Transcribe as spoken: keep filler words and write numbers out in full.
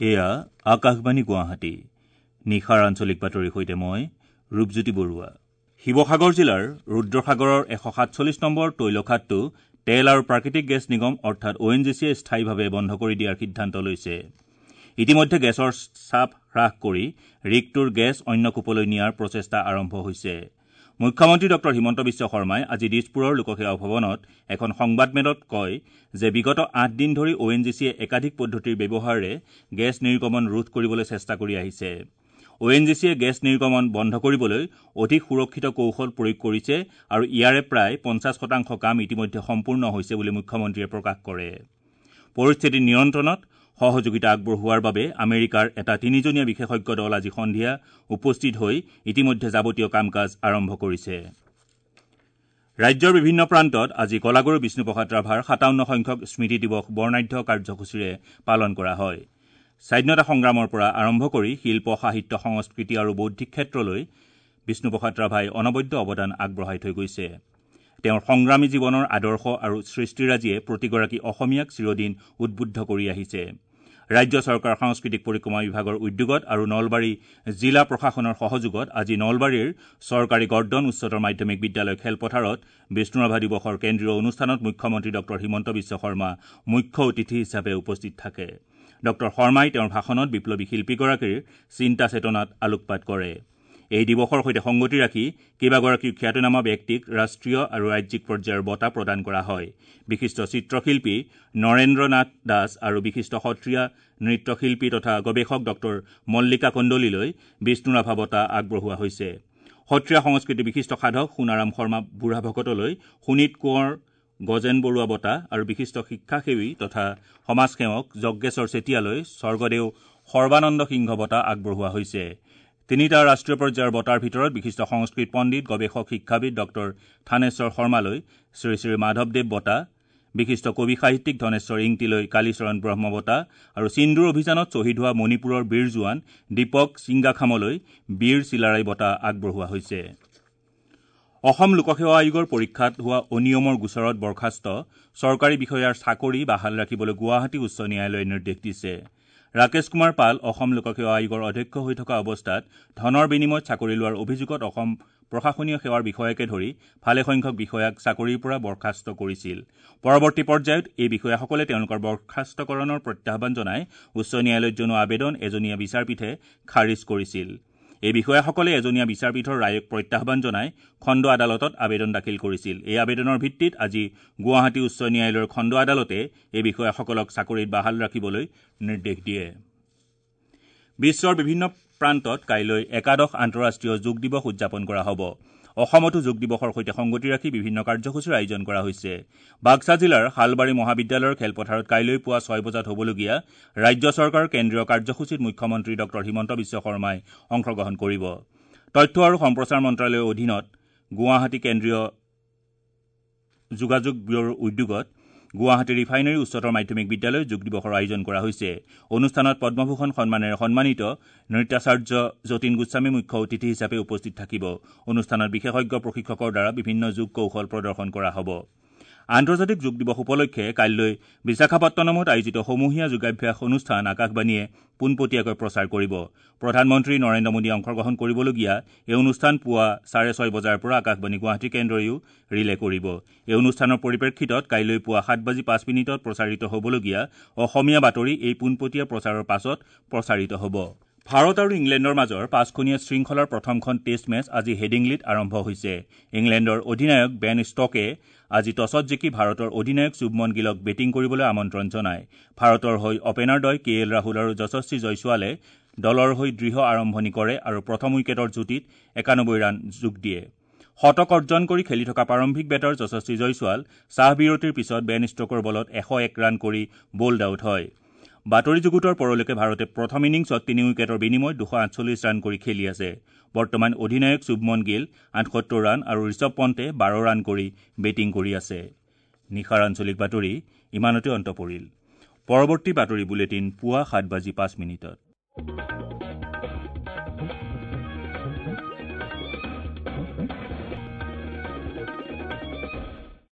এয়া আকাশবাণী গুৱাহাটী। নিশাৰ আঞ্চলিক বাতৰিৰ সৈতে মই ৰূপজ্যোতি বৰুৱা। শিৱসাগৰ জিলাৰ ৰুদ্ৰসাগৰৰ এশ সাতচল্লিছ নম্বৰ তৈলখাদটো তেল আৰু প্ৰাকৃতিক গেছ নিগম অৰ্থাৎ অ' এন জি চিয়ে স্থায়ীভাৱে বন্ধ কৰি দিয়াৰ সিদ্ধান্ত লৈছে। ইতিমধ্যে গেছৰ চাপ হ্ৰাস কৰি ৰিগটোৰ গেছ অন্য কূপলৈ নিয়াৰ প্ৰচেষ্টা আৰম্ভ হৈছে। মুখ্যমন্ত্ৰী ডঃ হিমন্ত বিশ্ব শৰ্মাই আজি দিছপুৰৰ লোকসেৱা ভৱনত এখন সংবাদমেলত কয় যে বিগত আঠ দিন ধৰি অ' এন জি চিয়ে একাধিক পদ্ধতিৰ ব্যৱহাৰেৰে গেছ নিৰ্গমন ৰোধ কৰিবলৈ চেষ্টা কৰি আহিছে। অ' এন জি চিয়ে গেছ নিৰ্গমন বন্ধ কৰিবলৈ অধিক সুৰক্ষিত কৌশল প্ৰয়োগ কৰিছে আৰু ইয়াৰে প্ৰায় পঞ্চাছ শতাংশ কাম ইতিমধ্যে সম্পূৰ্ণ হৈছে বুলি মুখ্যমন্ত্ৰীয়ে প্ৰকাশ কৰে। পৰিস্থিতি নিয়ন্ত্ৰণত সহযোগিতা আগবঢ়োৱাৰ বাবে আমেৰিকাৰ এটা তিনিজনীয়া বিশেষজ্ঞ দল আজি সন্ধিয়া উপস্থিত হৈ ইতিমধ্যে যাৱতীয় কাম কাজ আৰম্ভ কৰিছে। ৰাজ্যৰ বিভিন্ন প্ৰান্তত আজি কলাগুৰু বিষ্ণুপ্ৰসাদ ৰাভাৰ সাতাৱন্ন সংখ্যক স্মৃতি দিৱস বৰ্ণাঢ্য কাৰ্যসূচীৰে পালন কৰা হয়। স্বাধীনতা সংগ্ৰামৰ পৰা আৰম্ভ কৰি শিল্প, সাহিত্য, সংস্কৃতি আৰু বৌদ্ধিক ক্ষেত্ৰলৈ বিষ্ণুপ্ৰসাদ ৰাভাই অনবদ্য অৱদান আগবঢ়াই থৈ গৈছে। তেওঁৰ সংগ্ৰামী জীৱনৰ আদৰ্শ আৰু সৃষ্টিৰাজিয়ে প্ৰতিগৰাকী অসমীয়াক চিৰদিন উদ্বুদ্ধ কৰি আহিছে। ৰাজ্য চৰকাৰৰ সাংস্কৃতিক পৰিক্ৰমা বিভাগৰ উদ্যোগত আৰু নলবাৰী জিলা প্ৰশাসনৰ সহযোগত আজি নলবাৰীৰ চৰকাৰী গৰ্ডন উচ্চতৰ মাধ্যমিক বিদ্যালয় খেলপথাৰত বিষ্ণুৰাভা দিৱসৰ কেন্দ্ৰীয় অনুষ্ঠানত মুখ্যমন্ত্ৰী ডঃ হিমন্ত বিশ্ব শৰ্মা মুখ্য অতিথি হিচাপে উপস্থিত থাকে। ডঃ শৰ্মাই তেওঁৰ ভাষণত বিপ্লৱী শিল্পীগৰাকীৰ চিন্তা চেতনাত আলোকপাত কৰে। এই দিৱসৰ সৈতে সংগতি ৰাখি কেইবাগৰাকীও খ্যাতনামা ব্যক্তিক ৰাষ্ট্ৰীয় আৰু ৰাজ্যিক পৰ্যায়ৰ বঁটা প্ৰদান কৰা হয়। বিশিষ্ট চিত্ৰশিল্পী নৰেন্দ্ৰ নাথ দাস আৰু বিশিষ্ট সত্ৰীয়া নৃত্যশিল্পী তথা গৱেষক ডঃ মল্লিকা কন্দলিলৈ বিষ্ণুৰাভা বঁটা আগবঢ়োৱা হৈছে। সত্ৰীয়া সংস্কৃতিৰ বিশিষ্ট সাধক সোণাৰাম শৰ্মা বুঢ়াভকতলৈ শোণিত কোঁৱৰ গজেন বৰুৱা বঁটা আৰু বিশিষ্ট শিক্ষাসেৱী তথা সমাজসেৱক যজ্ঞেশ্বৰ চেতিয়ালৈ স্বৰ্গদেউ সৰ্বানন্দ সিংহ বঁটা আগবঢ়োৱা হৈছে। তিনিটা ৰাষ্ট্ৰীয় পৰ্যায়ৰ বঁটাৰ ভিতৰত বিশিষ্ট সংস্কৃত পণ্ডিত, গৱেষক, শিক্ষাবিদ ডঃ থানেশ্বৰ শৰ্মালৈ শ্ৰী শ্ৰী মাধৱদেৱ বঁটা, বিশিষ্ট কবি সাহিত্যিক ধনেশ্বৰ ইংতিলৈ কালীচৰণ ব্ৰহ্ম বঁটা আৰু সিন্দুৰ অভিযানত শ্বহীদ হোৱা মণিপুৰৰ বীৰ জোৱান দীপক ছিংগাখামলৈ বীৰ চিলাৰায় বঁটা আগবঢ়োৱা হৈছে। অসম লোকসেৱা আয়োগৰ পৰীক্ষাত হোৱা অনিয়মৰ গোচৰত বৰ্খাস্ত চৰকাৰী বিষয়াৰ চাকৰি বাহাল ৰাখিবলৈ গুৱাহাটী উচ্চ ন্যায়ালয়ে নিৰ্দেশ দিছে। ৰাকেশ কুমাৰ পাল অসম লোকসেৱা আয়োগৰ অধ্যক্ষ হৈ থকা অৱস্থাত ধনৰ বিনিময়ত চাকৰি লোৱাৰ অভিযোগত অসম প্ৰশাসনীয় সেৱাৰ বিষয়াকে ধৰি ভালেসংখ্যক বিষয়াক চাকৰিৰ পৰা বৰ্খাস্ত কৰিছিল। পৰৱৰ্তী পৰ্যায়ত এই বিষয়াসকলে তেওঁলোকৰ বৰ্খাস্তকৰণৰ প্ৰত্যাহ্বান জনাই উচ্চ ন্যায়ালয়ত জনোৱা আবেদন এজনীয়া বিচাৰপীঠে খাৰিজ কৰিছিল। এই বিষয়াসকলে এজনীয়া বিচাৰপীঠৰ ৰায়ক প্ৰত্যাহ্বান জনাই খণ্ড আদালতত আবেদন দাখিল কৰিছিল। এই আবেদনৰ ভিত্তিত আজি গুৱাহাটী উচ্চ ন্যায়ালয়ৰ খণ্ড আদালতে এই বিষয়াসকলক চাকৰিত বাহাল ৰাখিবলৈ নিৰ্দেশ দিয়ে। বিশ্বৰ বিভিন্ন প্ৰান্তত কাইলৈ একাদশ আন্তঃৰাষ্ট্ৰীয় যোগ দিৱস উদযাপন কৰা হ'ব। অসমতো যোগ দিৱসৰ সৈতে সংগতি ৰাখি বিভিন্ন কাৰ্যসূচীৰ আয়োজন কৰা হৈছে। বাক্সা জিলাৰ শালবাৰী মহাবিদ্যালয়ৰ খেলপথাৰত কাইলৈ পুৱা ছয় বজাত হ'বলগীয়া ৰাজ্য চৰকাৰৰ কেন্দ্ৰীয় কাৰ্যসূচীত মুখ্যমন্ত্ৰী ডঃ হিমন্ত বিশ্ব শৰ্মাই অংশগ্ৰহণ কৰিব। তথ্য আৰু সম্প্ৰচাৰ মন্ত্ৰালয়ৰ অধীনত গুৱাহাটী কেন্দ্ৰীয় যোগাযোগ ব্যুৰোৰ উদ্যোগত গুৱাহাটী ৰিফাইনেৰী উচ্চতৰ মাধ্যমিক বিদ্যালয়ত যোগ দিৱসৰ আয়োজন কৰা হৈছে। অনুষ্ঠানত পদ্মভূষণ সন্মানেৰে সন্মানিত নৃত্যাচাৰ্য যতীন গোস্বামী মুখ্য অতিথি হিচাপে উপস্থিত থাকিব। অনুষ্ঠানত বিশেষজ্ঞ প্ৰশিক্ষকৰ দ্বাৰা বিভিন্ন যোগ কৌশল প্ৰদৰ্শন কৰা হ'ব। আন্তৰ্জাতিক যোগ দিৱস উপলক্ষে কাইলৈ বিশাখাপট্টনমত আয়োজিত সমূহীয়া যোগাভ্যাস অনুষ্ঠান আকাশবাণীয়ে পোনপটীয়াকৈ প্ৰচাৰ কৰিব। প্ৰধানমন্ত্ৰী নৰেন্দ্ৰ মোদীয়ে অংশগ্ৰহণ কৰিবলগীয়া এই অনুষ্ঠান পুৱা চাৰে ছয় বজাৰ পৰা আকাশবাণী গুৱাহাটী কেন্দ্ৰইও ৰিলে কৰিব। এই অনুষ্ঠানৰ পৰিপ্ৰেক্ষিতত কাইলৈ পুৱা সাত বাজি পাঁচ মিনিটত প্ৰচাৰিত হ'বলগীয়া অসমীয়া বাতৰি এই পোনপটীয়া প্ৰচাৰৰ পাছত প্ৰচাৰিত হ'ব। ভাৰত আৰু ইংলেণ্ডৰ মাজৰ পাঁচখনীয়া শৃংখলাৰ প্ৰথমখন টেষ্ট মেচ আজি হেডিংলিত আৰম্ভ হৈছে। ইংলেণ্ডৰ অধিনায়ক বেন ষ্টকে আজি টছত জিকি ভাৰতৰ অধিনায়ক শুভমন গিলক বেটিং কৰিবলৈ আমন্ত্ৰণ জনায়। ভাৰতৰ হৈ অপেনাৰদ্বয় কে এল ৰাহুল আৰু যশস্বী জয়ছোৱালে দলৰ হৈ দৃঢ় আৰম্ভণি কৰে আৰু প্ৰথম উইকেটৰ যুটীত একানব্বৈ ৰান যোগ দিয়ে। শতক অৰ্জন কৰি খেলি থকা প্ৰাৰম্ভিক বেটাৰ যশস্বী জয়ছোৱাল চাহ বিৰতিৰ পিছত বেন ষ্টকৰ বলত এশ এক ৰান কৰি বল্ড আউট হয়। বাতৰি যুগুতৰ পৰলৈকে ভাৰতে প্ৰথম ইনিংছত তিনি উইকেটৰ বিনিময়ত দুশ আঠচল্লিছ ৰান কৰি খেলি আছে। বৰ্তমান অধিনায়ক শুভমন গিল আঠসত্তৰ ৰান আৰু ঋষভ পণ্টে বাৰ ৰান কৰি বেটিং কৰি আছে। নিশাৰ আঞ্চলিক বাতৰি ইমানতে অন্ত পৰিল। পৰৱৰ্তী বাতৰি বুলেটিন পুৱা সাত বাজি পাঁচ মিনিটত।